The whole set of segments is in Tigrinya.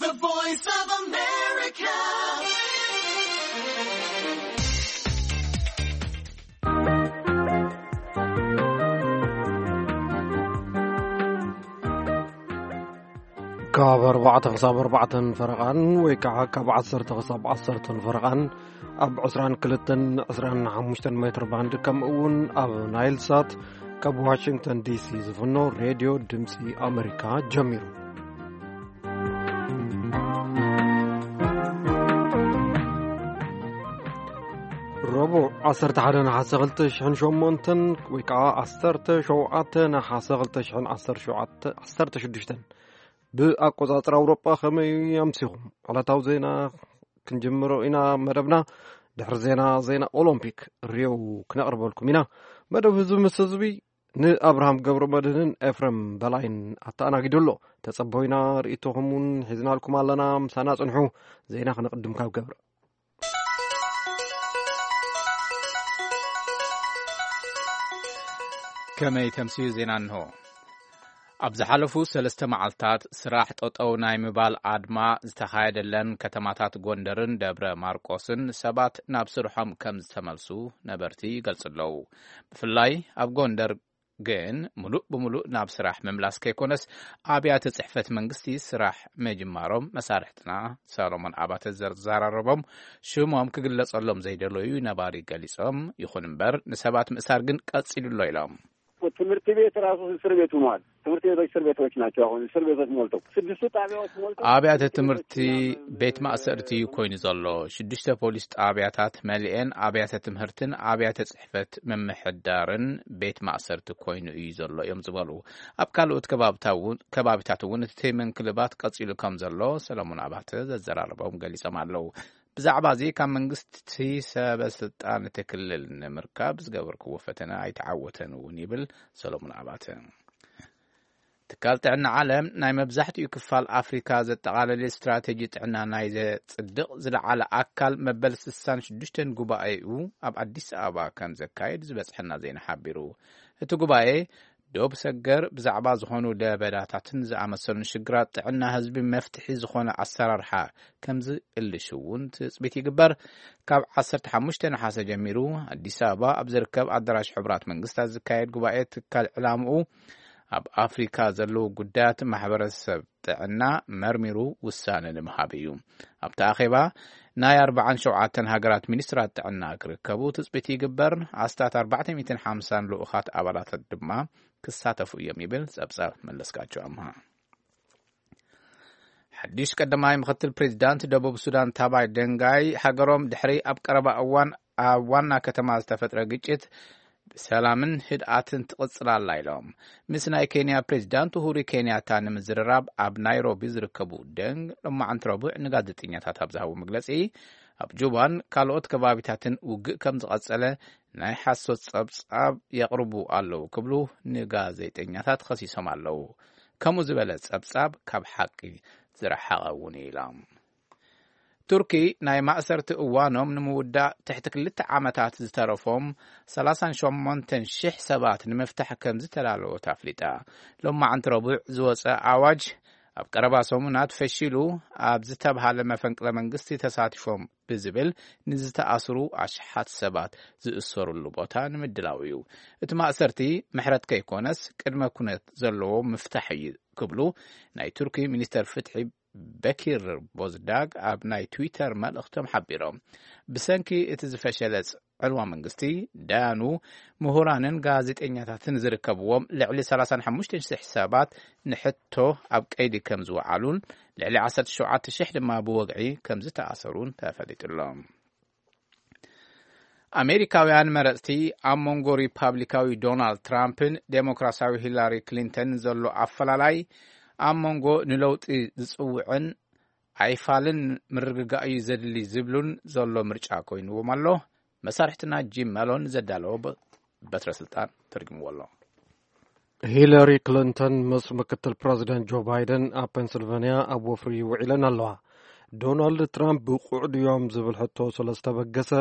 The Voice of America. ካብ ኣርባዕተ ክሳብ ኣርባዕተን ፈረቓን ወይ ከዓ ካብ ዓሰርተ ክሳብ ዓሰርተን ፈረቓን ኣብ ዕስራን ክልተን ዕስራን ሓሙሽተን ሜትር ባንድ፣ ከምኡ እውን ኣብ ናይል ሳት ካብ ዋሽንግተን ዲሲ ዝፍኖ ሬድዮ ድምፂ ኣሜሪካ ጀሚሩ። ረቡዕ ዓሰርተ ሓደ ነሓሰ ክልተ ሽሕን ሸሞንተን ወይ ከዓ ዓሰርተ ሸውዓተ ነሓሰ ክልተ ሽሕን ዓሰርተ ሸውዓተ፣ ዓሰርተ ሽዱሽተን ብኣቆጻጽራ ኣውሮጳ። ከመይ ኣምሲኹም? ዕለታዊ ዜና ክንጅምሮ ኢና መደብና። ድሕሪ ዜና፣ ዜና ኦሎምፒክ ሪዮ ክነቕርበልኩም ኢና። መደብ ህዝቢ ምስ ህዝቢ ንኣብርሃም ገብረ መድህንን ኤፍረም በላይን ኣተኣናጊዱ ኣሎ። ተጸበዩና፣ ርእይቶኹም እውን ሒዝናልኩም ኣለና። ምሳና ጽንሑ። ዜና ክነቕድም ካብ ገብረ። ከመይ ተምስዩ ዜና እንሆ። ኣብ ዝሓለፉ ሰለስተ መዓልታት ስራሕ ጠጠው ናይ ምባል ኣድማ ዝተኻየደለን ከተማታት ጎንደርን ደብረ ማርቆስን ሰባት ናብ ስርሖም ከም ዝተመልሱ ነበርቲ ይገልጹ ኣለዉ። ብፍላይ ኣብ ጎንደር ግን ምሉእ ብምሉእ ናብ ስራሕ ምምላስ ከይኮነስ ኣብያተ ጽሕፈት መንግስቲ ስራሕ ምጅማሮም መሳርሕትና ሰሎሞን ኣባተ ዘዘራረቦም ሽሞም ክግለጸሎም ዘይደለዩ ነባሪ ገሊጾም። ይኹን እምበር ንሰባት ምእሳር ግን ቀጺሉ ኣሎ ኢሎም። ትምህርቲ ቤት ራሱ እስር ቤት ሆኗል። ትምህርት ቤቶች እስር ቤቶች ናቸው። አሁን እስር ቤቶች ሞልተው፣ ስድስቱ ጣቢያዎች ሞልተው፣ አብያተ ትምህርቲ ቤት ማእሰርቲ ኮይኑ ዘሎ። ሽዱሽተ ፖሊስ ጣብያታት መሊኤን ኣብያተ ትምህርትን ኣብያተ ጽሕፈት ምምሕዳርን ቤት ማእሰርቲ ኮይኑ እዩ ዘሎ እዮም ዝበሉ። ኣብ ካልኦት ከባብታ እውን፣ ከባቢታት እውን እቲ ምንክልባት ቀጺሉ ከም ዘሎ ሰለሙን ኣባተ ዘዘራረቦም ገሊጾም ኣለዉ። ብዛዕባ እዚ ካብ መንግስቲ ሰበ ስልጣን እቲ ክልል ንምርካብ ዝገበርክዎ ፈተነ ኣይተዓወተን እውን ይብል ሰሎሙን ኣባተ። ትካል ጥዕና ዓለም ናይ መብዛሕትኡ ክፋል ኣፍሪካ ዘጠቓለለ ስትራቴጂ ጥዕና ናይ ዘጽድቕ ዝለዓለ ኣካል መበል ስሳን ሽዱሽተን ጉባኤኡ ኣብ ኣዲስ ኣበባ ከም ዘካየድ ዝበጽሐና ዜና ሓቢሩ። እቲ ጉባኤ ዶብ ሰገር ብዛዕባ ዝኾኑ ለበዳታትን ዝኣመሰሉን ሽግራት ጥዕና ህዝቢ መፍትሒ ዝኾነ ኣሰራርሓ ከም ዝእልሽ እውን ትጽቢት ይግበር። ካብ ዓሰርተ ሓሙሽተ ነሓሰ ጀሚሩ ኣዲስ ኣበባ ኣብ ዝርከብ ኣዳራሽ ሕቡራት መንግስታት ዝካየድ ጉባኤ ትካል ዕላምኡ ኣብ ኣፍሪካ ዘለዉ ጉዳያት ማሕበረሰብ ጥዕና መርሚሩ ውሳነ ንምሃብ እዩ። ኣብቲ ኣኼባ ናይ ኣርባዓን ሸውዓተን ሃገራት ሚኒስትራት ጥዕና ክርከቡ ትጽቢት ይግበር። ኣስታት ኣርባዕተ ሚእትን ሓምሳን ልኡኻት ኣባላት ድማ ክሳተፉ እዮም ይብል ጸብጻብ መለስካቸው ኣምሃ። ሓድሽ ቀዳማይ ምክትል ፕሬዚዳንት ደቡብ ሱዳን ታባይ ደንጋይ ሃገሮም ድሕሪ ኣብ ቀረባ እዋን ኣብ ዋና ከተማ ዝተፈጥረ ግጭት ብሰላምን ህድኣትን ትቕጽል ኣላ ኢሎም። ምስ ናይ ኬንያ ፕሬዚዳንት ኡሁሩ ኬንያታ ንምዝርራብ ኣብ ናይሮቢ ዝርከቡ ደንግ ሎማዕንቲ ረቡዕ ንጋዜጠኛታት ኣብ ዝሃቡ መግለጺ፣ ኣብ ጁባን ካልኦት ከባቢታትን ውግእ ከም ዝቐጸለ ናይ ሓሶት ጸብጻብ የቕርቡ ኣለዉ ክብሉ ንጋዜጠኛታት ኸሲሶም ኣለዉ። ከምኡ ዝበለ ጸብጻብ ካብ ሓቂ ዝረሓቐ እውን እዩ ኢሎም። ቱርኪ ናይ ማእሰርቲ እዋኖም ንምውዳእ ትሕቲ ክልተ ዓመታት ዝተረፎም ሰላሳን ሸሞንተን ሽሕ ሰባት ንምፍታሕ ከም ዝተዳለወት ኣፍሊጣ። ሎማዕንቲ ረቡዕ ዝወጸ ኣዋጅ ኣብ ቀረባ ሰሙናት ፈሺሉ ኣብ ዝተብሃለ መፈንቅለ መንግስቲ ተሳቲፎም ብዝብል ንዝተኣስሩ ኣሽሓት ሰባት ዝእሰሩሉ ቦታ ንምድላው እዩ። እቲ ማእሰርቲ ምሕረት ከይኮነስ ቅድመ ኩነት ዘለዎ ምፍታሕ እዩ ክብሉ ናይ ቱርኪ ሚኒስተር ፍትሒ በኪር ቦዝዳግ ኣብ ናይ ትዊተር መልእኽቶም ሓቢሮም። ብሰንኪ እቲ ዝፈሸለ ጽ-፣ ዕልዋ መንግስቲ፣ ዳያኑ፣ ምሁራንን ጋዜጠኛታትን ዝርከብዎም ልዕሊ ሰላሳን ሓሙሽተን ሽሕ ሰባት ንሕቶ ኣብ ቀይዲ ከም ዝወዓሉን ልዕሊ ዓሰርተ ሸውዓተ ሽሕ ድማ ብወግዒ ከም ዝተኣሰሩን ተፈሊጡ ኣሎ። ኣሜሪካውያን መረጽቲ ኣብ መንጎ ሪፓብሊካዊ ዶናልድ ትራምፕን ዴሞክራሲያዊ ሂላሪ ክሊንተን ዘሎ ኣፈላላይ ኣብ መንጎ ንለውጢ ዝጽውዕን ኣይፋልን ምርግጋእ እዩ ዘድሊ ዝብሉን ዘሎ ምርጫ ኮይንዎም ኣሎ። መሳርሕትና ጂም መሎን ዘዳለዎ በ-፣ በትረ ስልጣን ተርጉምዎ ኣሎ። ሂለሪ ክሊንተን ምስ ምክትል ፕረዚደንት ጆ ባይደን ኣብ ፔንስልቨንያ ኣብ ወፍሪ ውዒለን ኣለዋ። ዶናልድ ትራምፕ ብቑዕ ድዮም ዝብል ሕቶ ስለ ዝተበገሰ፣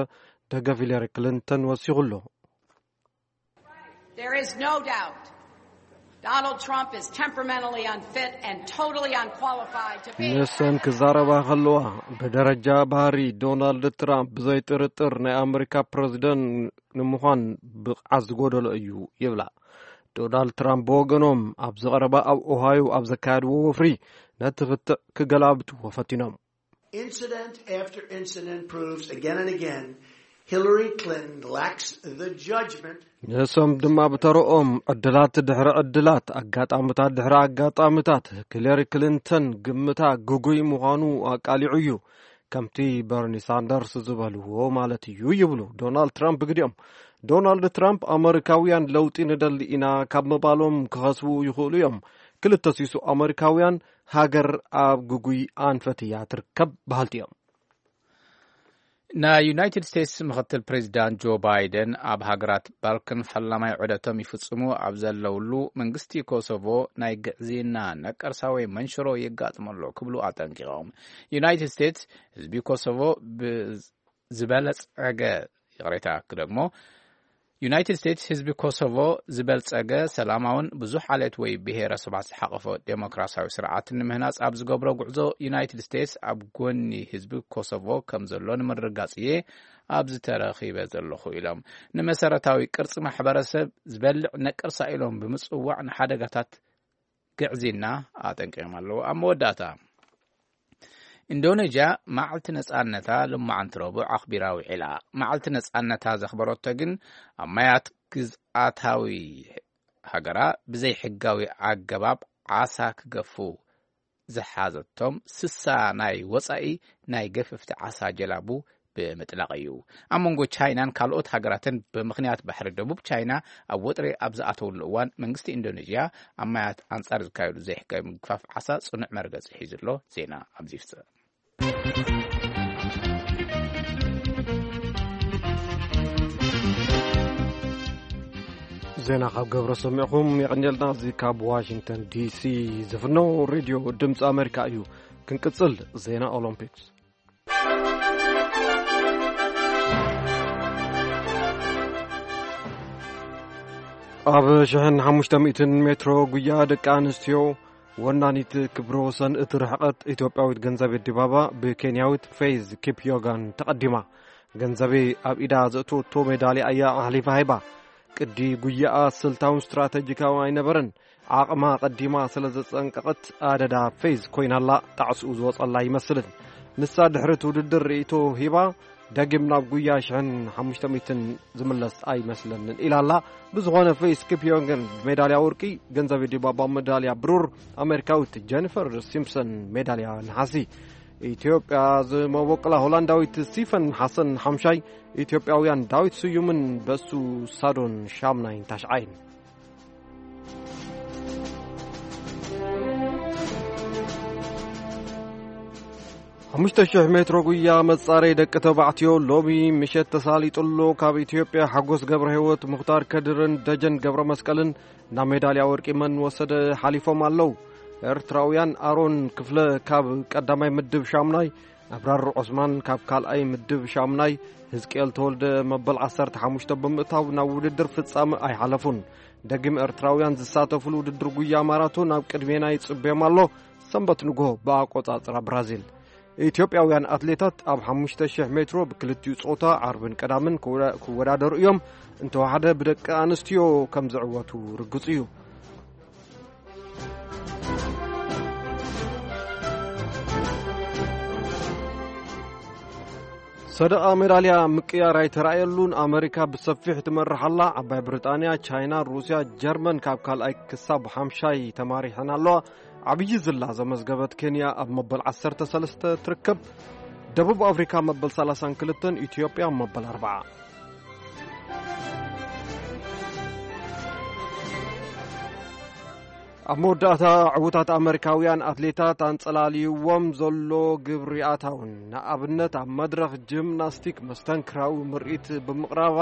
ደገፍ ሂለሪ ክሊንተን ወሲኹ ኣሎ። There is no doubt Donald Trump is temperamentally unfit and totally unqualified to be ንሰን ክዛረባ ከለዋ፣ ብደረጃ ባህሪ ዶናልድ ትራምፕ ብዘይ ጥርጥር ናይ ኣመሪካ ፕረዚደንት ንምዃን ብቕዓት ዝጎደሎ እዩ ይብላ። ዶናልድ ትራምፕ ብወገኖም፣ ኣብ ዝቐረባ ኣብ ኦሃዮ ኣብ ዘካየድዎ ወፍሪ፣ ነቲ ክትዕ ክገላብጥዎ ፈቲኖም። Incident after incident proves again and again Hillary Clinton lacks the judgment ንሶም ድማ ብተረኦም፣ ዕድላት ድሕሪ ዕድላት፣ ኣጋጣምታት ድሕሪ ኣጋጣምታት፣ ሂለሪ ክሊንተን ግምታ ግጉይ ምዃኑ ኣቃሊዑ እዩ። ከምቲ በርኒ ሳንደርስ ዝበልዎ ማለት እዩ ይብሉ ዶናልድ ትራምፕ። ግዲኦም ዶናልድ ትራምፕ፣ ኣመሪካውያን ለውጢ ንደሊ ኢና ካብ ምባሎም ክኸስቡ ይኽእሉ እዮም። ክልተ ሲሱ ኣመሪካውያን ሃገር ኣብ ግጉይ ኣንፈት እያ ትርከብ በሃልቲ እዮም። ናይ ዩናይትድ ስቴትስ ምክትል ፕሬዚዳንት ጆ ባይደን፣ ኣብ ሃገራት ባልካን ፈላማይ ዑደቶም ይፍጽሙ ኣብ ዘለውሉ፣ መንግስቲ ኮሶቮ ናይ ግዕዝይና ነቀርሳ ወይ መንሽሮ የጋጥሞ ኣሎ ክብሉ ኣጠንቂቖም። ዩናይትድ ስቴትስ ህዝቢ ኮሶቮ ብዝበለጸገ፣ ይቕሬታ ክደግሞ፣ ዩናይትድ ስቴትስ ህዝቢ ኮሶቮ ዝበልጸገ፣ ሰላማውን ብዙሕ ዓሌት ወይ ብሄረሰባት ዝሓቐፈ ዴሞክራሲያዊ ስርዓት ንምህናጽ ኣብ ዝገብሮ ጉዕዞ፣ ዩናይትድ ስቴትስ ኣብ ጎኒ ህዝቢ ኮሶቮ ከም ዘሎ ንምርግጋጽ እየ ኣብዚ ተረኺበ ዘለኹ ኢሎም። ንመሰረታዊ ቅርጺ ማሕበረሰብ ዝበልዕ ነቀርሳ ኢሎም ብምጽዋዕ ንሓደጋታት ግዕዝይና ኣጠንቂቖም ኣለዉ። ኣብ መወዳእታ፣ ኢንዶኔዥያ መዓልቲ ነጻነታ ሎማዓንቲ ረቡዕ ኣኽቢራ ውዒላ። መዓልቲ ነጻነታ ዘኽበረቶ ግን፣ ኣብ ማያት ግዝኣታዊ ሃገራ ብዘይ ሕጋዊ ኣገባብ ዓሳ ክገፉ ዝሓዘቶም ስሳ ናይ ወጻኢ ናይ ገፈፍቲ ዓሳ ጀላቡ ብምጥላቕ እዩ። ኣብ መንጎ ቻይናን ካልኦት ሃገራትን ብምኽንያት ባሕሪ ደቡብ ቻይና ኣብ ወጥሪ ኣብ ዝኣተውሉ እዋን፣ መንግስቲ ኢንዶኔዥያ ኣብ ማያት ኣንጻር ዝካየዱ ዘይሕጋዊ ምግፋፍ ዓሳ ጽኑዕ መርገጺ ሒዙ ኣሎ። ዜና ኣብዚ ይፍጸም። ዜና ካብ ገብረ ሰሚዕኹም የቐንየልና። እዚ ካብ ዋሽንግተን ዲሲ ዝፍኖ ሬድዮ ድምፂ ኣሜሪካ እዩ። ክንቅፅል። ዜና ኦሎምፒክስ። ኣብ ሽሕን ሓሙሽተ ሚእትን ሜትሮ ጉያ ደቂ ኣንስትዮ ወናኒት ክብረ ወሰን እቲ ርሕቐት ኢትዮጵያዊት ገንዘቤ ዲባባ ብኬንያዊት ፌዝ ኪፕዮጋን ተቐዲማ። ገንዘቤ ኣብ ኢዳ ዘእተወቶ ሜዳልያ እያ ኣሕሊፋ ሂባ። ቅዲ ጉያኣ ስልታውን ስትራተጂካውን ኣይነበረን። ዓቕማ ቀዲማ ስለ ዘጸንቀቐት ኣደዳ ፌዝ ኮይናላ። ጣዕስኡ ዝወጸላ ኣይመስልን። ንሳ ድሕሪ እቲ ውድድር ርእይቶ ሂባ፣ ደጊም ናብ ጉያ ሽሕን ሓሙሽተ ሚእትን ዝምለስ ኣይመስለንን ኢላ ኣላ። ብዝኾነ ፌዝ ኪፕዮንግን ብሜዳልያ ወርቂ፣ ገንዘቤ ዲባባ ሜዳልያ ብሩር፣ ኣሜሪካዊት ጀኒፈር ሲምፕሰን ሜዳልያ ነሓሲ። ኢትዮጵያ ዝመበቆላ ሆላንዳዊት ሲፈን ሓሰን ሓምሻይ፣ ኢትዮጵያውያን ዳዊት ስዩምን በሱ ሳዶን ሻምናይን ታሽዓይን። ሓሙሽተ ሽሕ ሜትሮ ጉያ መጻረይ ደቂ ተባዕትዮ ሎሚ ምሸት ተሳሊጡ ኣሎ። ካብ ኢትዮጵያ ሓጎስ ገብረ ህይወት፣ ሙኽታር ከድርን ደጀን ገብረ መስቀልን ናብ ሜዳልያ ወርቂ መን ወሰደ ሓሊፎም ኣለዉ። ኤርትራውያን ኣሮን ክፍለ ካብ ቀዳማይ ምድብ ሻምናይ፣ ኣብራር ዑስማን ካብ ካልኣይ ምድብ ሻምናይ፣ ህዝቅኤል ተወልደ መበል ዓሰርተ ሓሙሽተ ብምእታው ናብ ውድድር ፍጻመ ኣይሓለፉን። ደጊም ኤርትራውያን ዝሳተፉሉ ውድድር ጉያ ማራቶን ኣብ ቅድሜና ይጽበዮም ኣሎ። ሰንበት ንግሆ ብኣቆጻጽራ ብራዚል። ኢትዮጵያውያን ኣትሌታት ኣብ ሓሙሽተ ሽሕ ሜትሮ ብክልቲኡ ጾታ ዓርብን ቀዳምን ክወዳ-፣ ክወዳደሩ እዮም። እንተወሓደ ብደቂ ኣንስትዮ ከም ዝዕወቱ ርግጽ እዩ። ሰደቓ ሜዳልያ ምቅያር ኣይተራእየሉን። ኣመሪካ ብሰፊሕ ትመርሕ ኣላ። ዓባይ ብሪጣንያ፣ ቻይና፣ ሩስያ፣ ጀርመን ካብ ካልኣይ ክሳብ ሓምሻይ ተማሪሐን ኣለዋ። ዓብዪ ዝላ ዘመዝገበት ኬንያ ኣብ መበል ዓሰርተ ሰለስተ ትርከብ። ደቡብ ኣፍሪካ መበል ሰላሳን ክልተን፣ ኢትዮጵያ መበል ኣርብዓ። ኣብ መወዳእታ፣ ዕዉታት ኣመሪካውያን ኣትሌታት ኣንጸላልይዎም ዘሎ ግብሪ ኣታውን፣ ንኣብነት ኣብ መድረኽ ጂምናስቲክ መስተንክራዊ ምርኢት ብምቕራባ፣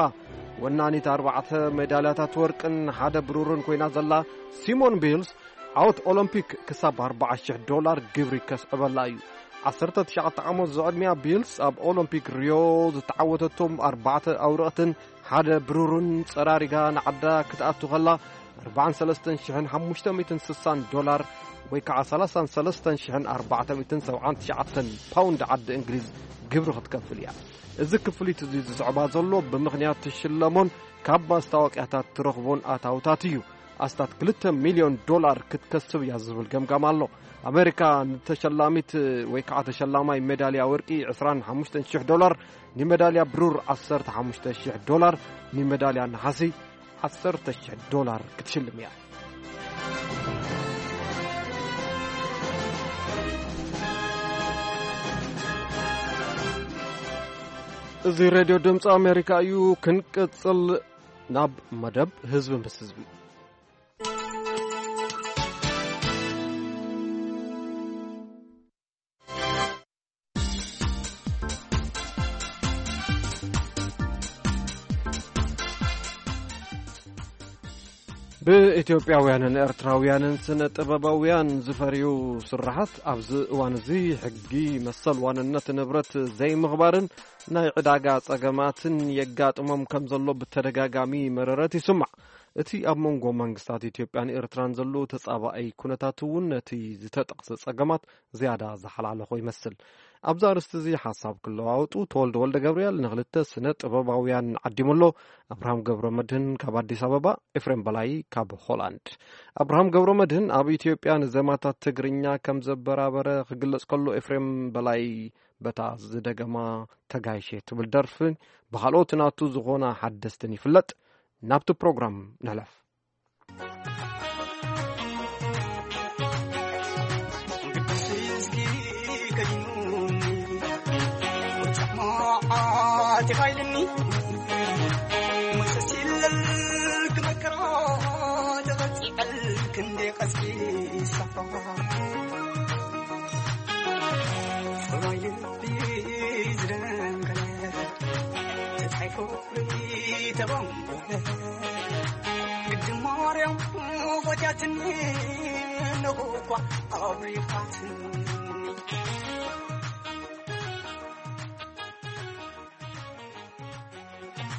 ወናኒት ኣርባዕተ ሜዳልያታት ወርቅን ሓደ ብሩርን ኮይና ዘላ ሲሞን ቢልስ፣ ዓወት ኦሎምፒክ ክሳብ ኣርባዓ ሽሕ ዶላር ግብሪ ከስዕበላ እዩ። ዓሰርተ ትሽዓተ ዓመት ዝዕድሚያ ቢልስ፣ ኣብ ኦሎምፒክ ሪዮ ዝተዓወተቶም ኣርባዕተ ኣውርቕትን ሓደ ብሩርን ጸራሪጋ ንዓዳ ክትኣቱ ከላ፣ ኣርባዓን ሰለስተን ሽሕን ሓሙሽተ ሚእትን ስሳን ዶላር ወይ ከዓ ሰላሳን ሰለስተን ሽሕን ኣርባዕተ ሚእትን ሰብዓን ትሽዓተን ፓውንድ ዓዲ እንግሊዝ ግብሪ ክትከፍል እያ። እዚ ክፍሊት እዚ ዝስዕባ ዘሎ ብምኽንያት ትሽለሞን ካብ ማስታወቅያታት ትረኽቦን ኣታውታት እዩ። ኣስታት ክልተ ሚልዮን ዶላር ክትከስብ እያ ዝብል ገምጋም ኣሎ። ኣሜሪካ ንተሸላሚት ወይ ከዓ ተሸላማይ ሜዳልያ ወርቂ ዕስራን ሓሙሽተን ሽሕ ዶላር፣ ንሜዳልያ ብሩር ዓሰርተ ሓሙሽተ ሽሕ ዶላር፣ ንሜዳልያ ነሓሲ ዓሰርተ ሽሕ ዶላር ክትሽልም እያ። እዚ ሬድዮ ድምፂ ኣሜሪካ እዩ። ክንቅፅል ናብ መደብ ህዝቢ ምስ ህዝቢ። ብኢትዮጵያውያንን ኤርትራውያንን ስነ ጥበባውያን ዝፈርዩ ስራሓት ኣብዚ እዋን እዚ ሕጊ መሰል ዋንነት ንብረት ዘይምኽባርን ናይ ዕዳጋ ጸገማትን የጋጥሞም ከም ዘሎ ብተደጋጋሚ መረረት ይስማዕ። እቲ ኣብ መንጎ መንግስታት ኢትዮጵያን ኤርትራን ዘሎ ተጻባኣይ ኩነታት እውን ነቲ ዝተጠቕሰ ጸገማት ዝያዳ ዝሓላለኾ ይመስል። ኣብዚ ኣርእስቲ እዚ ሓሳብ ክለዋወጡ ተወልደ ወልደ ገብርኤል ንኽልተ ስነ ጥበባውያን ዓዲሙ ኣሎ። ኣብርሃም ገብረ መድህን ካብ ኣዲስ ኣበባ፣ ኤፍሬም በላይ ካብ ሆላንድ። ኣብርሃም ገብረ መድህን ኣብ ኢትዮጵያ ንዜማታት ትግርኛ ከም ዘበራበረ ክግለጽ ከሎ፣ ኤፍሬም በላይ በታ ዝደገማ ተጋይሼ ትብል ደርፍን ብኻልኦት ናቱ ዝኾና ሓደስትን ይፍለጥ። ናብቲ ፕሮግራም ንሕለፍ።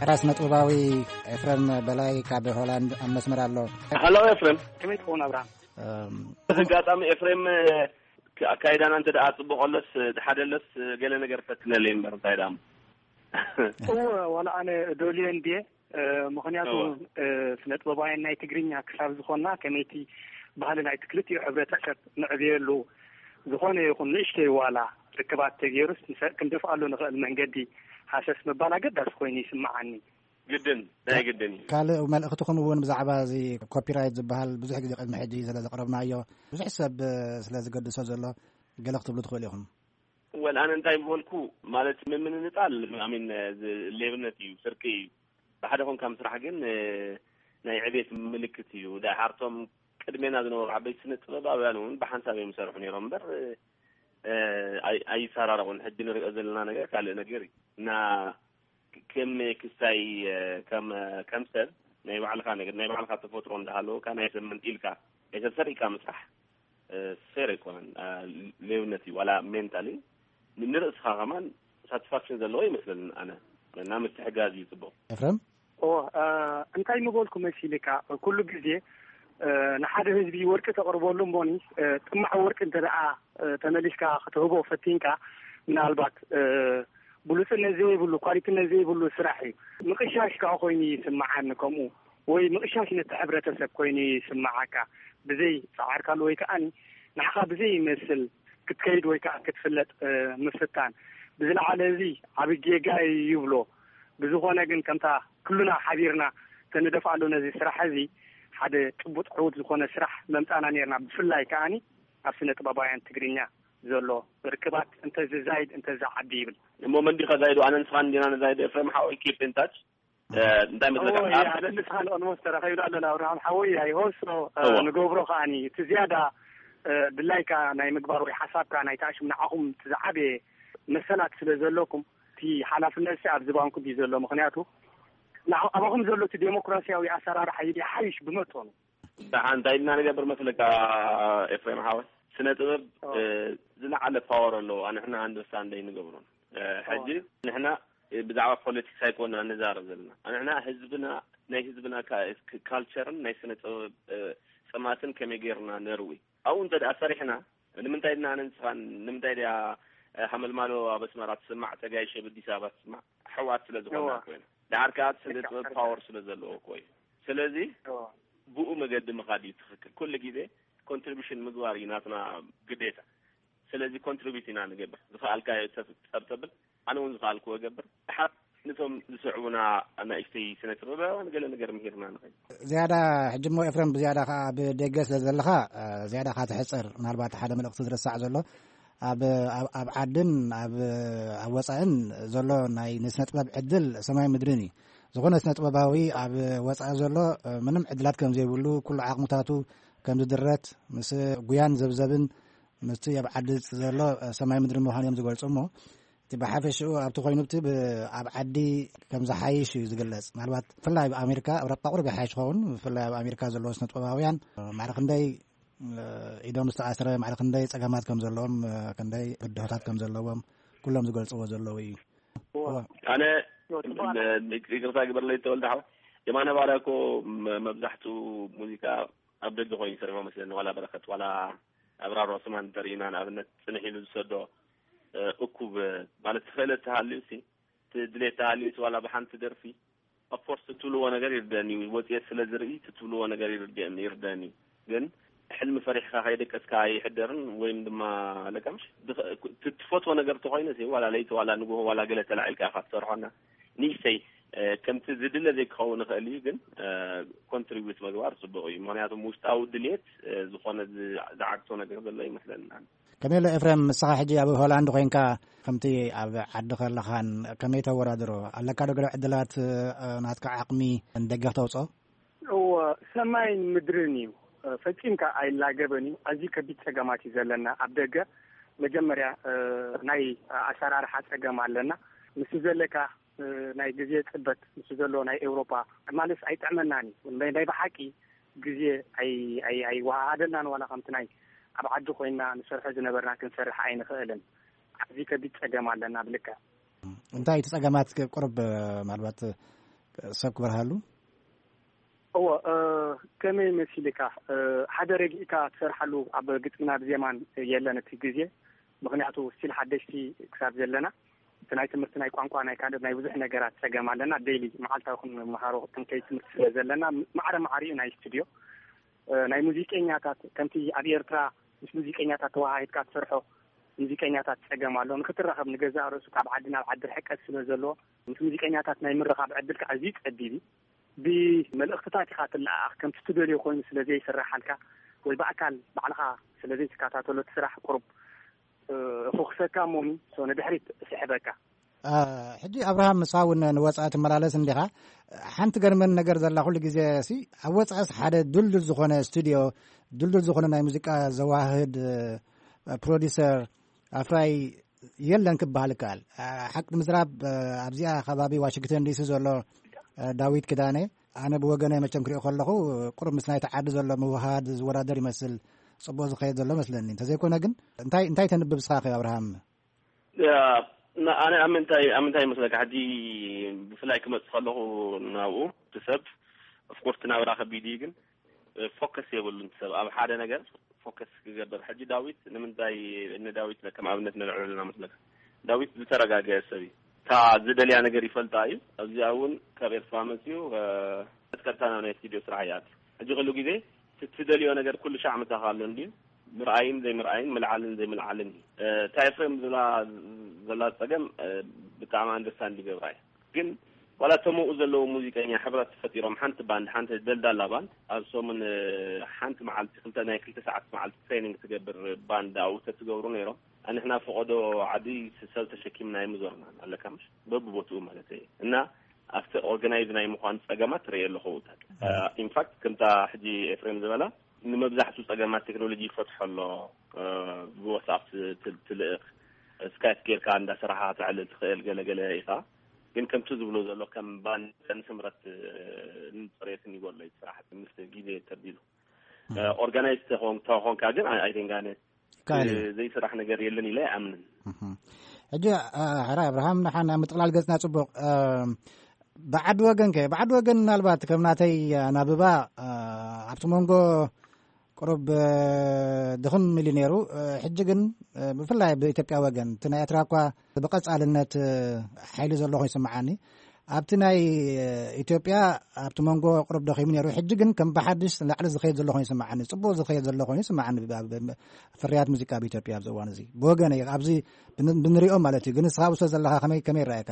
ራስ ነጥባዊ ኤፍረም በላይ ካብ ሆላንድ ኣብ መስመር ኣሎ። ሃሎ ኤፍሬም። ከመይ ትኸውን ኣብርሃም? በዚ ኣጋጣሚ ኤፍሬም፣ ኣካይዳና እንተ ደኣ ጽቡቕ ኣሎስ፣ ደሓደሎስ፣ ገለ ነገር ፈትነለይ እምበር እንታይ ደኣ እሞ። እወ፣ ዋላ ኣነ ዶልየ እንድየ፣ ምኽንያቱ፣ እወ። ስነ ጥበባውያን ናይ ትግርኛ ክሳብ ዝኾንና፣ ከመይቲ ባህሊ ናይቲ ክልቲኡ ሕብረተሰብ ንዕብየሉ፣ ዝኾነ ይኹን ንእሽተይ ዋላ ርክባት ተገይሩስ፣ ክንደፍኣሉ ንኽእል መንገዲ ሃሰስ ምባል ኣገዳሲ ኮይኑ ይስምዓኒ። ግድን፣ ናይ ግድን እዩ። ካልእ መልእኽትኹም እውን ብዛዕባ እዚ ኮፒራይት ዝበሃል ብዙሕ ግዜ ቅድሚ ሕጂ ስለ ዘቕረብናዮ፣ ብዙሕ ሰብ ስለ ዝገድሶ ዘሎ፣ ገለ ክትብሉ ትኽእሉ ኢኹም። ወል፣ ኣነ እንታይ ምበልኩ፣ ማለት፣ ምምንጣል፣ ኣሚን፣ እዚ ሌብነት እዩ፣ ስርቂ እዩ። ብሓደ ኮንካ ምስራሕ ግን፣ እ፣ ናይ ዕቤት ምልክት እዩ። ደሓርቶም ቅድሜና ዝነበሩ ዓበይቲ ስነ ጥበባውያን እውን ብሓንሳብ እዮም ዝሰርሑ ነይሮም እምበር፣ እ፣ ኣይ-፣ ኣይሰራረቑን። ሕጂ ንሪኦ ዘለና ነገር ካልእ ነገር እዩ። እና ከም ክስታይ፣ ከም፣ ከም ሰብ ናይ ባዕልኻ ነገር፣ ናይ ባዕልኻ ተፈጥሮ እንዳሃለወካ ናይ ሰብ መንጢልካ፣ ናይ ሰብ ሰሪቕካ ምስራሕ፣ እ፣ ፌር ኣይኮነን። እ፣ ሌብነት እዩ። ዋላ ሜንታሊ ን-፣ ንርእስኻ ከማን ሳቲስፋክሽን ዘለዎ ይመስለኒ ኣነ። እና ምትሕጋዝ እዩ ጽቡቕ። ኤፍረም? ኦ፣ እ፣ እንታይ ምበልኩ መሲልካ፣ ኩሉ ግዜ፣ እ፣ ንሓደ ህዝቢ ወርቂ ተቕርበሉ እሞኒ፣ እ፣ ጥማዕ ወርቂ እንተ ደኣ፣ እ፣ ተመሊስካ ክትህቦ ፈቲንካ፣ ምናልባት፣ እ፣ ብሉጽነት ዘይብሉ፣ ኳሊቲነት ዘይብሉ ስራሕ እዩ። ምቕሻሽ ከኣ ኮይኑ ይስምዓኒ ከምኡ፣ ወይ ምቕሻሽ ነቲ ሕብረተሰብ ኮይኑ ይስምዓካ፣ ብዘይ ጻዕርካሉ ወይ ከኣኒ ንዓኻ ብዘይ ይመስል ክትከይድ ወይ ከኣ ክትፍለጥ፣ እ፣ ምፍታን። ብዝለዓለ እዚ ዓቢ ጌጋ እዩ ይብሎ። ብዝኾነ ግን ከምታ ኩልና ሓቢርና ተንደፍኣሉ ነዚ ስራሕ እዚ ሓደ ጭቡጥ ዕዉት ዝኾነ ስራሕ መምጻና ኔርና። ብፍላይ ከኣኒ ኣብ ስነ ጥበባውያን ትግርኛ ዘሎ ርክባት እንተ ዝዛይድ እንተ ዝዓቢ ይብል። እሞ መን ዲኻ ዛይዶ? ኣነ ንስኻን እንዲና ንዛይዶ። ኤፍሬም ሓወይ፣ keep in touch። እ፣ እንታይ መስለካ? እዎ፣ ኣብ ያ፣ ስነ ንስኻን ኦልሞስት ተራኺብና ኣለና። ኣብርሃም ሓወይ፣ ኣይሆሶ፣ እ፣ እዎ። ንገብሮ ከኣኒ እቲ ዝያዳ፣ እ፣ ድላይካ ናይ ምግባር ወይ ሓሳብካ ናይ ተኣሽም ንዓኹም እቲ ዝዓበየ መሰላት ስለ ዘለኩም፣ እቲ ሓላፍነት ሲ ኣብ ዝባንኩም እዩ ዘሎ። ምኽንያቱ ንዓ-፣ ኣባኹም ዘሎ እቲ ዴሞክራሲያዊ ኣሰራርሓ ይሓይሽ ብመጠኑ። ደሓን እንታይ ኢልና ንገብር መስለካ ኤፍሬም ሓወይ? ስነ ጥበብ፣ ኦ። እ፣ ዝለዓለ ፓወር ኣለዎ። ንሕና ኣንደርስታንድ ኣይንገብሮን። እ፣ ኦ። ሕጂ ንሕና፣ እ፣ ብዛዕባ ፖለቲክስ ኣይኮና ንዛረብ ዘለና። ንሕና ህዝብና ናይ ህዝብና ካ- ክ- ካልቸርን ናይ ስነ ጥበብ እ፣ ጸማትን ከመይ ጌርና ነርዊ ኣብኡ እንተ ደኣ ሰሪሕና ንምንታይ ድና ኣነ ንስኻን ንምንታይ ድያ እ፣ ሃመልማሎ ኣብ ኣስመራ ትስማዕ ጸጋይ ሸብ ኣዲስ ኣበባ ትስማዕ ኣሕዋት ስለ ዝኾና ኮይና ደሓር ከኣ ስነ ጥበብ ፓወር ስለ ዘለዎ እኮ እዩ። ስለዚ ብኡ መገዲ ምኻድ እዩ ትኽክል። ኩሉ ግዜ ኮንትሪቢሽን ምግባር እዩ ናትና ግዴታ። ስለዚ ኮንትሪቢዩት ኢና ንገብር። ዝኸኣልካዮ ሰብ ጸብጸብል፣ ኣነ እውን ዝኸኣልክዎ እገብር። ድሓር ነቶም ዝስዕቡና ኣናእሽተይ ስነ ጥበባውያን ገለ ነገር ምሂርና ንኸይድ። ዝያዳ ሕጂ እሞ ኤፍረም ብዝያዳ ከኣ ኣብ ደገ ስለ ዘለኻ ዝያዳ ካ ትሕጽር ምናልባት ሓደ መልእኽቲ ዝረሳዕ ዘሎ ኣብ ኣብ ዓድን ኣብ ኣብ ወጻእን ዘሎ ናይ ንስነ ጥበብ ዕድል ሰማይ ምድርን እዩ። ዝኾነ ስነ ጥበባዊ ኣብ ወጻኢ ዘሎ ምንም ዕድላት ከም ዘይብሉ ኩሉ ዓቕምታቱ ከም ዝድረት ምስ ጉያን ዘብዘብን ምስቲ ኣብ ዓዲ ዘሎ ሰማይ ምድሪ ምዃኑ እዮም ዝገልጹ እሞ እቲ ብሓፈሽኡ ኣብቲ ኮይኑ እቲ ኣብ ዓዲ ከም ዝሓይሽ እዩ ዝግለጽ። ምናልባት ብፍላይ ኣብ ኣሜሪካ ኣብ ረጳ ቁርብ ይሓይሽ ኸውን ብፍላይ ኣብ ኣሜሪካ ዘለዉ ስነ ጥበባውያን ማዕረ ክንደይ ኢዶም ዝተኣስረ ማዕረ ክንደይ ጸገማት ከም ዘለዎም ክንደይ ብድሆታት ከም ዘለዎም ኩሎም ዝገልጽዎ ዘለዉ እዩ። ኣነ ይቅርታ ግበርለይ ተወልደ ሓው የማነ ባርያ እኮ መብዛሕትኡ ሙዚቃ ኣብ ደገ ኮይኑ ይሰርሖ መስለኒ ዋላ በረኸት ዋላ ኣብራር ዑስማን እንተርኢና ንኣብነት ጽንሕ ኢሉ ዝሰዶ እኩብ ማለት ክእለት ተሃልዩ ሲ ድሌት ተሃልዩ ዋላ ብሓንቲ ደርፊ ኦፍኮርስ ትትብልዎ ነገር ይርደእኒ እዩ ወፅኤት ስለ ዝርኢ ትትብልዎ ነገር ይርደእኒ ይርደእኒ ግን ሕልሚ ፈሪሕካ ከይደቀስካ ኣይሕደርን ወይም ድማ ለቀምሽ ትትፈትዎ ነገር ተኮይነ ዋላ ለይቲ ዋላ ንግሆ ዋላ ገለ ተላዒልካ ኢካ ትሰርሖና ንእሽተይ ከምቲ ዝድለ ዘይክኸውን ይኽእል እዩ ግን ኮንትሪቢዩት ምግባር ፅቡቅ እዩ ምክንያቱም ውሽጣዊ ድልየት ዝኾነ ዝዓግቶ ነገር ዘሎ ይመስለኒ ከመይ ኣሎ ኤፍሬም ንስኻ ሕጂ ኣብ ሆላንድ ኮይንካ ከምቲ ኣብ ዓዲ ከለኻን ከመይ ተወዳድሮ ኣለካ ዶ ገለ ዕድላት ናትካ ዓቕሚ ንደገ ክተውፅኦ እወ ሰማይን ምድርን እዩ ፈፂምካ ኣይላገበን እዩ ኣዝዩ ከቢድ ፀገማት እዩ ዘለና ኣብ ደገ መጀመርያ ናይ ኣሰራርሓ ፀገም ኣለና ምስ ዘለካ ናይ ግዜ ፅበት ምስ ዘሎ ናይ ኤውሮፓ ማለስ ኣይጥዕመናን እዩ ናይ ብሓቂ ግዜ ኣይወሃሃደልናን ዋላ ከምቲ ናይ ኣብ ዓዲ ኮይና ንሰርሖ ዝነበርና ክንሰርሕ ኣይንኽእልን ኣብዚ ከቢድ ፀገም ኣለና ብልክዕ እንታይ እቲ ፀገማት ቁርብ ምናልባት ሰብ ክበርሃሉ እዎ ከመይ መሲልካ ሓደ ረጊእካ ትሰርሓሉ ኣብ ግጥምና ብዜማን የለን እቲ ግዜ ምክንያቱ ስቲል ሓደሽቲ ክሳብ ዘለና እቲ ናይ ትምህርቲ ናይ ቋንቋ ናይ ካልእ ናይ ብዙሕ ነገራት ፀገም ኣለና ዴይሊ መዓልታዊ ክንመሃሮ ክንከይ ትምህርቲ ስለ ዘለና ማዕረ ማዕሪኡ ናይ ስቱድዮ ናይ ሙዚቀኛታት ከምቲ ኣብ ኤርትራ ምስ ሙዚቀኛታት ተወሃሂድካ ትሰርሖ ሙዚቀኛታት ፀገም ኣሎ ንክትራኸብ ንገዛእ ርእሱ ካብ ዓዲ ናብ ዓዲ ርሕቀት ስለ ዘለዎ ምስ ሙዚቀኛታት ናይ ምርኻብ ዕድልካ ኣዝዩ ፀቢብ እዩ ብመልእኽትታት ኢኻ ትለኣኣኽ ከምቲ ትደልዮ ኮይኑ ስለ ዘይስራሓልካ ወይ ብኣካል ባዕልኻ ስለ ዘይትከታተሎ እቲ ስራሕ ቁሩብ እኹኽሰካ እሞ ንድሕሪት ስሕበካ። ሕጂ ኣብርሃም ንስኻ እውን ንወፃኢ ትመላለስ እንዲኻ ሓንቲ ገርመን ነገር ዘላ ኩሉ ግዜ ሲ ኣብ ወፃእስ ሓደ ድልዱል ዝኾነ ስቱድዮ ድልዱል ዝኾነ ናይ ሙዚቃ ዘዋህድ ፕሮዲሰር ኣፍራይ የለን ክበሃል ይከኣል። ሓቂ ንምዝራብ ኣብዚኣ ከባቢ ዋሽንግተን ዲሲ ዘሎ ዳዊት ክዳነ ኣነ ብወገነ መቸም ክሪኦ ከለኹ ቁሩብ ምስ ናይቲ ዓዲ ዘሎ ምውሃድ ዝወዳደር ይመስል። ጽቡቕ ዝኸየድ ዘሎ መስለኒ። እንተዘይኮነ ግን እንታይ እንታይ ተንብብ እስኻ ኣኺ ኣብርሃም? ኣነ ኣብ ምንታይ ኣብ ምንታይ ይመስለካ ሕጂ ብፍላይ ክመጽእ ከለኹ ናብኡ እቲ ሰብ ኦፍኮርስ ናብራ ከቢድ እዩ ግን ፎከስ የብሉን ሰብ ኣብ ሓደ ነገር ፎከስ ክገብር። ሕጂ ዳዊት ንምንታይ ንዳዊት ከም ኣብነት ነልዕሎ ዘለና መስለካ? ዳዊት ዝተረጋገአ ሰብ እዩ። እታ ዝደልያ ነገር ይፈልጣ እዩ። ኣብዚኣ እውን ካብ ኤርትራ መፅዩ ቀጥታ ናብ ናይ ስቱዲዮ ስራሕ ይኣቱ። ሕጂ ኩሉ ግዜ ትደልዮ ነገር ኩሉ ሻዕ ምታኻ ኣሎ እንድዩ ምርኣይን ዘይምርኣይን ምልዓልን ዘይምልዓልን እዩ። እታ ኤፍሬም ዝብላ ዘላ ፀገም ብጣዕሚ ኣንደርስታንድ ይገብራ እዩ። ግን ዋላ እቶም ኣብኡ ዘለዉ ሙዚቀኛ ሕብረት ፈጢሮም ሓንቲ ባንድ ሓንቲ ደልዳላ ባንድ ኣብ ሰሙን ሓንቲ መዓልቲ ክልተ ናይ ክልተ ሰዓት መዓልቲ ትሬኒንግ ትገብር ባንድ ኣብኡ ተትገብሩ ነይሮም ኣንሕና ፈቐዶ ዓዲ ሰብ ተሸኪምና ኣይምዞርናን ኣለካ ምሽ በብቦትኡ ማለት እየ እና ኣብቲ ኦርጋናይዝ ናይ ምዃን ፀገማት ትርእየ ኣለኹ ኣብታት ኢንፋክት ከምታ ሕጂ ኤፍሬም ዝበላ ንመብዛሕቱ ፀገማት ቴክኖሎጂ ይፈትሖ ኣሎ ብዋትስኣፕ ትልእኽ ስካይፕ ጌርካ እንዳሰራሓ ተዕልል ትኽእል ገለገለ ኢኻ ግን ከምቲ ዝብሎ ዘሎ ከም ባንድን ስምረት ንፅሬትን ይጎሎ እዩ ስራሕ ምስ ግዜ ተቢሉ ኦርጋናይዝ ተኾንካ ግን ኣይደንጋነ ዘይስራሕ ነገር የለን ኢለ ኣይኣምንን ሕጂ ሕራይ ኣብርሃም ንሓን ኣብ ምጥቕላል ገጽና ጽቡቕ ብዓዲ ወገን ከ? ብዓዲ ወገን ምናልባት ከም ናተይ ኣናብባ፣ እ፣ ኣብቲ መንጎ ቁሩብ፣ እ፣ ድኽም ኢሉ ነይሩ። እ፣ ሕጂ ግን፣ እ፣ ብፍላይ ብኢትዮጵያ ወገን፣ እቲ ናይ ኤርትራ እኳ ብቐጻልነት፣ እ፣ ሓይሊ ዘሎ ኮይኑ ይስምዓኒ። ኣብቲ ናይ፣ እ፣ ኢትዮጵያ ኣብቲ መንጎ ቁሩብ ደኺሙ ነይሩ። ሕጂ ግን ከም ብሓድሽ ንላዕሊ ዝኸይድ ዘሎ ኮይኑ ይስምዓኒ። ጽቡቕ ዝኸይድ ዘሎ ኮይኑ ይስምዓኒ። ብ-፣ ብ-፣ ፍርያት ሙዚቃ ኣብ ኢትዮጵያ ኣብዚ እዋን እዚ። ብወገነይ፣ ኣብዚ ብን-፣ ብንሪኦ ማለት እዩ። ግን ንስኻ ኣብ ውሽጢ ዘለኻ ከመይ፣ ከመይ ይረኣየካ?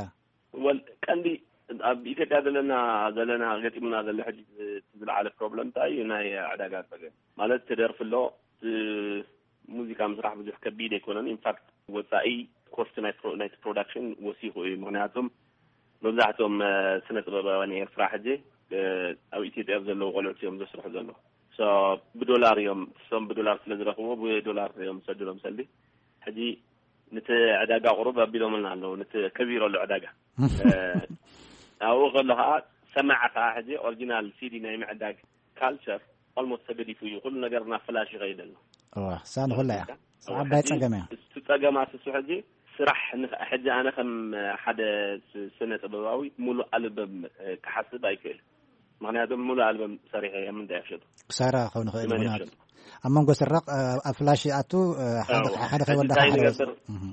ወል ቀንዲ ኣብ ኢትዮጵያ ዘለና፣ ዘለና ገጢሙና ዘሎ ሕጂ እቲ ዝለዓለ ፕሮብለም እንታይ እዩ? ናይ ዕዳጋ ጸገም ማለት፣ ትደርፊ ኣሎ፣ እቲ ሙዚቃ ምስራሕ ብዙሕ ከቢድ ኣይኮነን። ኢንፋክት ወጻኢ ኮስት ናይ ፕሮ-፣ ናይቲ ፕሮዳክሽን ወሲኹ እዩ። ምኽንያቱም መብዛሕትኦም፣ እ፣ ስነ ጥበባውያን ኤርትራ ሕጂ፣ እ፣ ኣብ ኢትዮጵያ ዘለዉ ቆልዑት እዮም ዘስርሑ ዘለዉ። ሶ ብዶላር እዮም፣ እሶም ብዶላር ስለ ዝረኽብዎ ብዶላር እዮም ዝሰድሎም ሰልዲ። ሕጂ ነቲ ዕዳጋ ቁሩብ ኣቢሎምልና ኣለዉ፣ ነቲ ከቢሩ ኣሎ ዕዳጋ። እ፣ ኣብኡ ከሎ ኸዓ ሰማዒ ኸዓ ሕጂ ኦሪጂናል ሲዲ ናይ ምዕዳግ ካልቸር ኦልሞስት ተገዲፉ እዩ። ኩሉ ነገር ናብ ፍላሽ ይኸይድ ኣሎ። እዋ፣ እሳ ንኹላ እያ። እዋ፣ እሳ ዓባይ ሕጂ ጸገም እያ። እሱ ጸገማት እሱ ሕጂ ስራሕ ንኸ-፣ ሕጂ ኣነ ከም ሓደ ስ-፣ ስነ ጥበባዊ ሙሉእ ኣልበም፣ እ፣ ክሓስብ ኣይክእል። ምኽንያቱም ሙሉእ ኣልበም ሰሪሐ እየ፣ ምንታይ ክሸጡ? ክሳራ ክኸውን ይኽእል እዩ፣ መን ምኽንያቱ ይሸጡ? ኣብ መንጎ ስራቕ፣ እ፣ ኣብ ፍላሽ ይኣቱ፣ እ፣ ሓደ፣ እዋ። ሓደ ሕጂ ከይወዳእካ እንታይ ሓደ ንገብር? ወጽእ። እህ።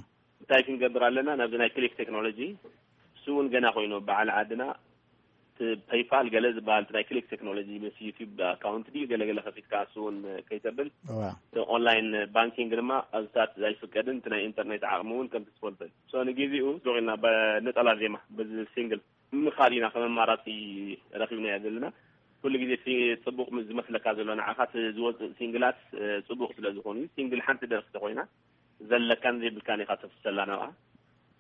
እንታይ ክንገብር ኣለና? ናብዚ ናይ ክሊክ ቴክኖሎጂ፣ እሱ እውን ገና ኮይኑ በዓል ዓድና፣ እቲ ፔይፓል ገለ ዝበሃል፣ እቲ ናይ ክሊክ ቴክኖሎጂ ምስ ዩቲዩብ ኣካውንት ድዩ ገለ ገለ ከፊትካ፣ እሱ እውን ከይተብል። እዋ። እቲ ኦንላይን ባንኪንግ ድማ ኣብታት ኣይፍቀድን፣ እቲ ናይ ኢንተርኔት ዓቕሚ እውን ከምቲ ትፈልጦ እዩ። ሶ ንግዜኡ ስሩቕ ኢልና በነጠላ ዜማ፣ በዚ ሲንግል ምኻድ ኢና ከም ኣማራጺ ረኺብናዮ ዘለና። ኩሉ ግዜ እቲ ጽቡቕ ምስ ዝመስለካ ዘሎ፣ ንዓኻ እቲ ዝወጽእ ሲንግላት፣ እ፣ ጽቡቕ ስለ ዝኾኑ እዩ። ሲንግል ሓንቲ ደርፊ ተኾይና ዘለካን ዘይብልካን ኢኻ ተፍሰላ ናብኣ።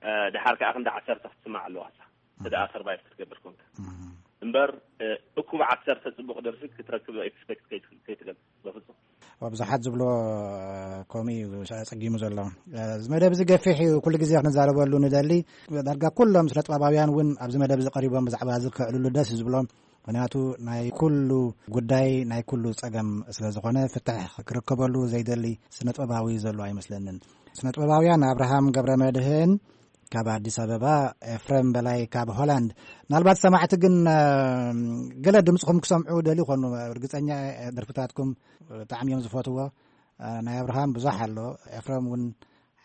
እ፣ ድሓር ከኣ ክንዲ ዓሰርተ ክትስማዕ ኣለዋ እሳ። እቲ ደኣ ሰርቫይቭ ክትገብር ኮንካ። እም። እምበር፣ እ፣ እኩብ ዓሰርተ ጽቡቕ ደርፊ ክትረክብ ኤክስፔክት ከይት-፣ ከይትገብር በፍጹም። ኣብ ብዙሓት ዝብሎ፣ እ፣ ከምኡ እዩ ኣጸጊሙ ዘሎ። እ፣ እዚ መደብ እዚ ገፊሕ እዩ፣ ኩሉ ግዜ ክንዛረበሉ ንደሊ። ዳርጋ ኩሎም ስነ ጥበባውያን እውን ኣብዚ መደብ እዚ ቀሪቦም ብዛዕባ እዚ ከዕልሉ ደስ እዩ ዝብሎም። ምኽንያቱ ናይ ኩሉ ጉዳይ፣ ናይ ኩሉ ጸገም ስለ ዝኾነ፣ ፍትሕ ክርከበሉ ዘይደሊ ስነ ጥበባዊ ዘሎ ኣይመስለንን። ስነ ጥበባውያን ኣብርሃም ገብረ መድህን ካብ ኣዲስ ኣበባ፣ ኤፍሬም በላይ ካብ ሆላንድ። ምናልባት ሰማዕቲ ግን፣ እ፣ ገለ ድምፅኹም ክሰምዑ ደልዩ ይኾኑ። ርግፀኛ እየ፣ ደርፍታትኩም ብጣዕሚ እዮም ዝፈትዎ። እ፣ ናይ ኣብርሃም ብዙሕ ኣሎ። ኤፍሬም እውን፣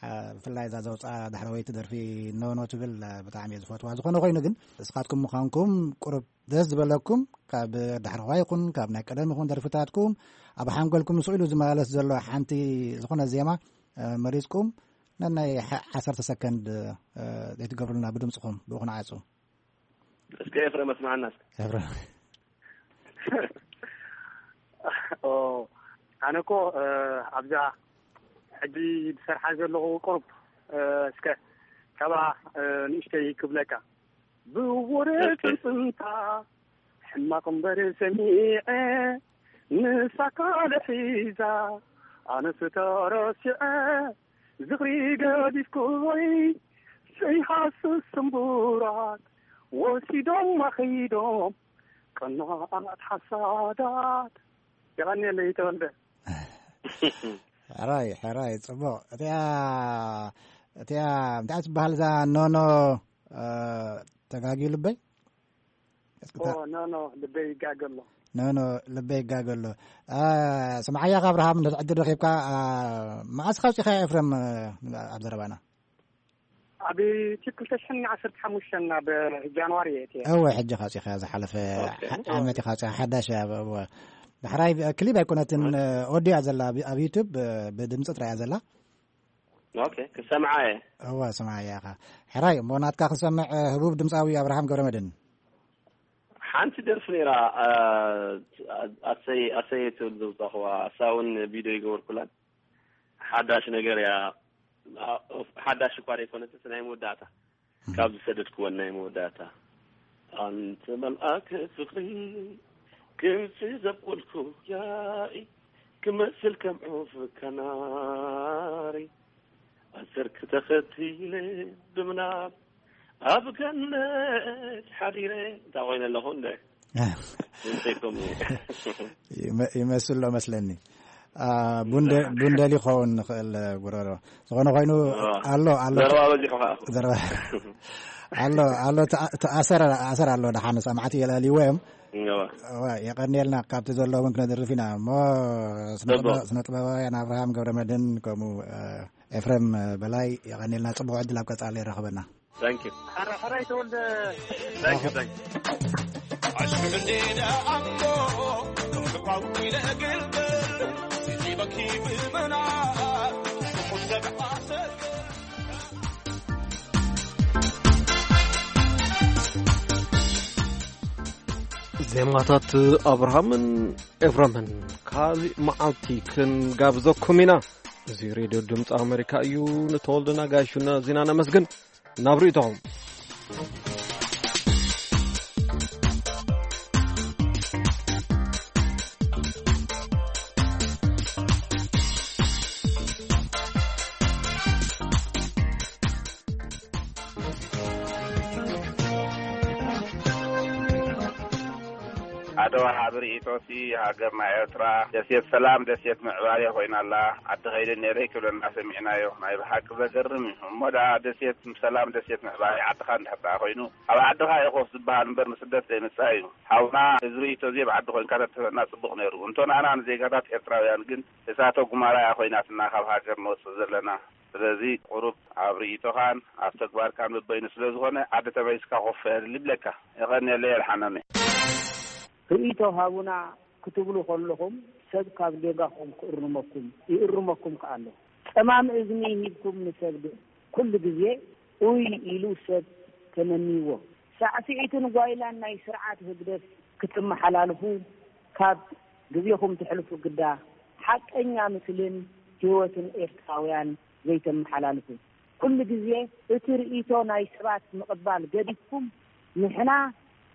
እ፣ ብፍላይ እዛ ዘውፅኣ ዳሕረወይቲ ደርፊ ኖኖ ትብል፣ እ፣ ብጣዕሚ እየ ዝፈትዋ። ዝኾነ ኮይኑ ግን ንስኻትኩም ምዃንኩም ቁሩብ ደስ ዝበለኩም፣ ካብ ዳሕረዋ ይኹን ካብ ናይ ቀደም ይኹን ደርፍታትኩም ኣብ ሓንጎልኩም ስኢሉ ዝመላለስ ዘሎ ሓንቲ ዝኾነ ዜማ፣ እ፣ መሪጽኩም ነናይ ሓ-፣ ዓሰርተ ሰከንድ፣ እ፣ ዘይትገብሩልና ብድምጽኹም ብኡ ክንዓጹ። እስከ ኤፍሬም ኣስምዓና እስከ። ኤፍሬም። ኦ፣ ኣነ እኮ፣ እ፣ ኣብዛ ሕጂ ዝሰርሓ ዘለኹ ቁሩብ፣ እ፣ እስከ ካብኣ፣ እ፣ ንእሽተይ ክብለካ። ብወረ እስከ። ጽንጽንታ ሕማቕ እምበር ሰሚዐ፣ ንሳ ካልእ ሒዛ ኣነስ ተረሲዐ። ዝኽሪ ገዲፍኩይ ዘይሃስስ ስምቡራት ወሲዶም ኣኸይዶም ቀናኣት ሓሳዳት። የቐንየለይ ተወልደ። ሕራይ፣ ሕራይ፣ ጽቡቕ። እቲኣ፣ እቲኣ እንታይ ትበሃል እዛ ኖኖ፣ እ፣ ተጋግዩ ልበይ? እስኪ ኦ፣ ታ-፣ ኖ፣ ኖ፣ ልበይ ይጋገ ኣሎ። ኖ፣ ኖ፣ ልበይ ይጋገ ኣሎ። እ፣ ስምዓያ፣ ካብ ኣብርሃም እንድሕር ዕድል ረኺብካ፣ እ፣ መዓስ ካውጺኻ ኤፍሬም፣ እ፣ ኣብ ዘረባና? ኣብ ክልተ ሽሕን ዓሰርተ ሓሙሽተን ኣብ ጃንዋሪ እየ እትየ። እወ፣ ሕጂ ካውጺኻ ዝሓለፈ ኦኬ። ዓ-፣ ዓመት ኢኻ ካውጺኻ፣ ሓዳሽ እያ። እወ። ዳሕራይ ክሊፕ ኣይኮነትን፣ ኦኬ። ኦዲዮ እያ ዘላ ኣብ፣ ኣብ ዩቱብ፣ እ፣ ብድምጺ ጥራይ እያ ዘላ። ኦኬ፣ ክሰምዓ እየ። እወ፣ ስምዓያ ኢኻ። ሕራይ፣ እሞ ናትካ ክንሰምዕ፣ እ፣ ህቡብ ድምጻዊ ኣብርሃም ገብረመድህን። ሓንቲ ደርፊ ነይራ፣ እ፣ ኣሰይ፣ ኣሰይ ትብል ዘውጻእኽዋ፣ እሳ እውን ቪድዮ ይገበርኩላን። ሓዳሽ ነገር እያ። ኣ-፣ ሓዳሽ እኳ ዘይኮነትስ ናይ መወዳእታ። እም። ካብ ዝሰደድክወን ናይ መወዳእታ። ኣንተ መልኣክ ፍቕሪ፣ ክምሲ ዘብቆልኩ ያኢ፣ ክመስል ከም ዑፍ ካናሪ፣ ኣሰርክ ተኸቲለ ብምናብ ኣብ ገነት ሓዲረ። እንታይ ኮይነ ኣለኹ እንደ? እንተይኮም ይመ-፣ ይመስል ሎ መስለኒ። ቡንደሊ ክኸውን ንኽእል ጉረሮ ዝኾነ ኮይኑ ኣሎ ኣሎ ዘረባ በዚሑ ከኣ ዘረባ ኣሎ ኣሎ ኣሰር ኣሰር ኣሎ ደሓን ሰማዕቲ የልዕልዎ እዮም። የቐንየልና ካብቲ ዘሎ እውን ክነድርፍ ኢና እሞ ስነጥበባውያን ኣብርሃም ገብረመድን ከምኡ ኤፍሬም በላይ የቐንየልና። ጽቡቕ ዕድል ኣብ ቀጻሊ ይረኸበና። Thank you. Thank you, thank you. ዜማታት ኣብርሃምን ኤፍረምን ካልእ መዓልቲ ክንጋብዘኩም ኢና። እዚ ሬድዮ ድምፂ ኣመሪካ እዩ። ንተወልደ ናጋሹና ዜና ነመስግን። ናብ ርእይቶኹም። ሓደ ወሃቢ ርእይቶሲ ሃገርና ኤርትራ ደሴት ሰላም ደሴት ምዕባሌ ኮይና ኣላ። ዓዲ ከይደ ነይረ ክብለና ሰሚዕናዮ። ናይ ብሓቂ ዘገርም እዩ። እሞ ደኣ ደሴት ሰላም ደሴት ምዕባሌ ዓድኻ እንድሕር ደኣ ኮይኑ ኣብ ዓድኻ ኢኾፍ ዝበሃል እምበር ንስደት ዘይምጻእ እዩ። ሓውና እዚ ርእይቶ እዚ ኣብ ዓዲ ኮይንካ ተትህበና ጽቡቕ ነይሩ። እንቶ ንኣና ንዜጋታት ኤርትራውያን ግን እሳተ ጉማራ እያ ኮይናትና ካብ ሃገር ንወጽእ ዘለና። ስለዚ ቁሩብ ኣብ ርእይቶኻን ኣብ ተግባርካን በበይኑ ስለ ዝኾነ ዓዲ ተመሊስካ ኮፍ በል ይብለካ። የቐንየለይ ኣድሓኖመይ። ርእይቶ ሃቡና ክትብሉ ከለኹም ሰብ ካብ ጌጋኹም ክእርመኩም ይእርመኩም ከኣ ኣሎ። ጸማም እዝኒ ሂብኩም ንሰብ ግን ኩሉ ግዜ ኡይ ኢሉ ሰብ ተመንይዎ። ሳዕስዒትን ጓይላን ናይ ስርዓት ህግደፍ ክትመሓላልፉ ካብ ግዜኹም ተሕልፉ ግዳ ሓቀኛ ምስልን ህይወትን ኤርትራውያን ዘይተመሓላልፉ። ኩሉ ግዜ እቲ ርእይቶ ናይ ሰባት ምቕባል ገዲፍኩም ንሕና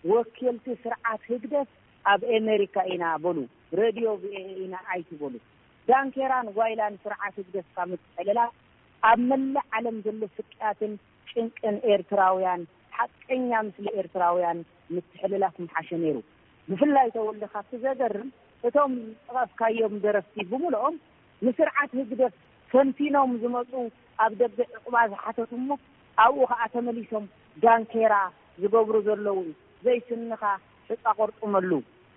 ወኪልቲ ስርዓት ህግደፍ ኣብ ኤመሪካ ኢና በሉ፣ ሬድዮ ቪኦኤ ኢና ኣይትበሉ። ዳንኬራን ጓይላን ስርዓት ህግደፍ ካብ ምትሕልላፍ ኣብ መላእ ዓለም ዘሎ ስቅያትን ጭንቅን ኤርትራውያን ሓቀኛ ምስሊ ኤርትራውያን ምትሕልላፍ ምሓሸ ነይሩ። ብፍላይ ተወልደ ካብቲ ዘገርም እቶም ዝጠቐስካዮም ደረፍቲ ብምልኦም ንስርዓት ህግደፍ ፈንፊኖም ዝመጹ ኣብ ደገ ዕቑባ ዝሓተቱ እሞ ኣብኡ ኸኣ ተመሊሶም ዳንኬራ ዝገብሩ ዘለዉ ዘይስንኻ ሕጻ ቆርጥመሉ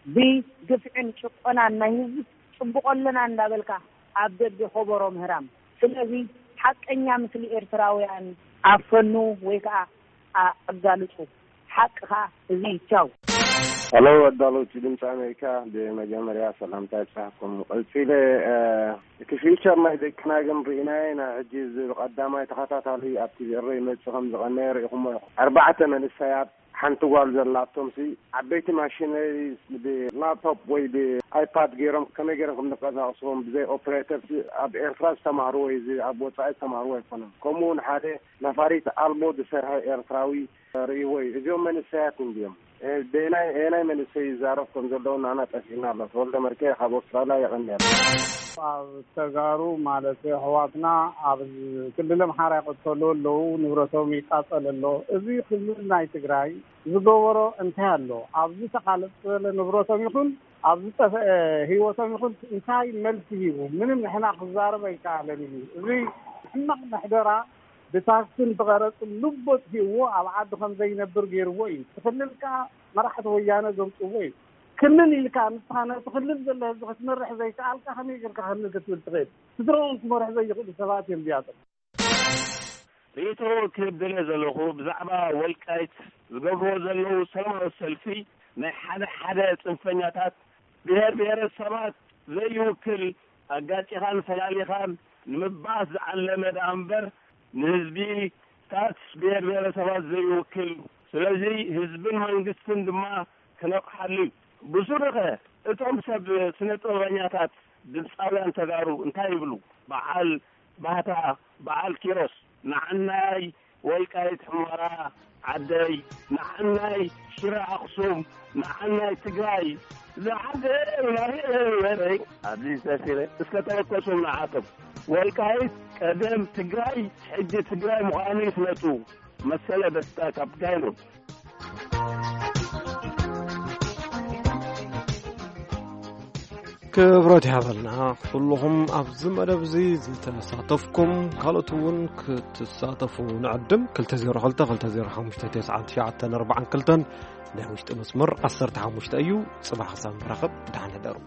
ብግፍዕን ጭቆናን ናይ ህዝቢ ጽቡቕ ኣለና እንዳበልካ ኣብ ደገ ኮቦሮ ምህራም። ስለዚ ሓቀኛ ምስሊ ኤርትራውያን ኣፈኑ ወይ ከኣ ኣጋልጹ። ሓቅኻ እዚ ይቻው። ሄሎ ኣዳለውቲ ድምፂ ኣሜሪካ፣ ብመጀመርያ ሰላምታ ይብፃሕኩም። ቀፂለ እቲ ፊውቸር ናይ ደቅና ግን ርኢናዮ ኢና። ሕጂ እዚ ብቐዳማይ ተኸታታሊ ኣብ ቲቪ ኤረ ይመፅእ ከም ዝቐነየ ርኢኹሞ ኢኹም። ኣርባዕተ መንእሰያት ሓንቲ ጓል ዘላቶም ሲ ዓበይቲ ማሽነሪ ብላፕቶፕ ወይ ብኣይፓድ ገይሮም ከመይ ገይሮም ከም ዝንቀሳቀስዎም ብዘይ ኦፕሬተር ሲ ኣብ ኤርትራ ዝተማህርዎ እዩ፣ እዚ ኣብ ወፃኢ ዝተማህርዎ ኣይኮነን። ከምኡ እውን ሓደ ነፋሪት ኣልቦ ዝሰርሐ ኤርትራዊ ርእይዎ እዩ። እዚኦም መንእሰያት እንድዮም። በየናይ መንእሰይ ይዛረብ ከም ዘለዉ ንኣና ጠፊእና ኣሎ። ተወልደ መርጌ ካብ ኣውስትራልያ የቐንየልና። ኣብ ተጋሩ ማለት ኣሕዋትና ኣብ ክልል ኣምሓራ ይቐተሉ ኣለዉ፣ ንብረቶም ይቃጸል ኣሎ። እዚ ክልል ናይ ትግራይ ዝገበሮ እንታይ ኣሎ? ኣብ ዝተቓለጸለ ንብረቶም ይኹን ኣብ ዝጠፍአ ህይወቶም ይኹን እንታይ መልሲ ሂቡ? ምንም ንሕና ክዛረብ ኣይከኣለን እዩ። እዚ ሕማቕ ምሕደራ ብታክስን ብቐረጽን ንቦ ኣጥፊእዎ ኣብ ዓዲ ከም ዘይነብር ገይርዎ እዩ። እቲ ክልል ከኣ መራሕቲ ወያነ ዘምጽእዎ እዩ። ክልል ኢልካ ንስኻ ነቲ ክልል ዘሎ ህዝቢ ክትመርሕ ዘይከኣልካ ከመይ ጌርካ ክልል ክትብል ትኽእል? ስድራኦም ክመርሑ ዘይኽእሉ ሰባት እዮም እዚኣቶም። ርእይቶ ክህብ ደልየ ዘለኹ ብዛዕባ ወልቃይት ዝገብርዎ ዘለዉ ሰላማዊ ሰልፊ ናይ ሓደ ሓደ ጽንፈኛታት ብሄር ብሄረሰባት ዘይውክል ኣጋጪኻን ፈላሊኻን ንምባኣስ ዝዓለመ ደኣ እምበር ንህዝቢታት ብሄር ብሄረሰባት ዘይውክል እዩ። ስለዚ ህዝብን መንግስትን ድማ ክነቕሓሉ እዩ። ብሱሩኸ እቶም ሰብ ስነ ጥበበኛታት ድምፃውያን ተጋሩ እንታይ ይብሉ? በዓል ባህታ፣ በዓል ኪሮስ፣ ንዓናይ ወልቃይት ሑመራ ዓደይ፣ ንዓናይ ሽረ ኣኽሱም፣ ንዓናይ ትግራይ ዝዓደይ ናበይ በለይ ኣብዚ ሰፊረ እስከ ተበከሱም ንዓቶም። ወልቃይት ቀደም ትግራይ ሕጂ ትግራይ ምዃኑ ይፍለጡ። መሰለ ደስታ ካብ ጋይሎት። ክብረት ይሃበልና ኩልኹም ኣብዚ መደብ እዚ ዝተሳተፍኩም፣ ካልኦት እውን ክትሳተፉ ንዕድም። ክልተ ዜሮ ክልተ ክልተ ዜሮ ሓሙሽተ ተስዓን ትሽዓተን ኣርባዓን ክልተን ናይ ውሽጢ መስመር ዓሰርተ ሓሙሽተ እዩ። ጽባሕ ክሳብ ንራኸብ፣ ደሓን ሕደሩ።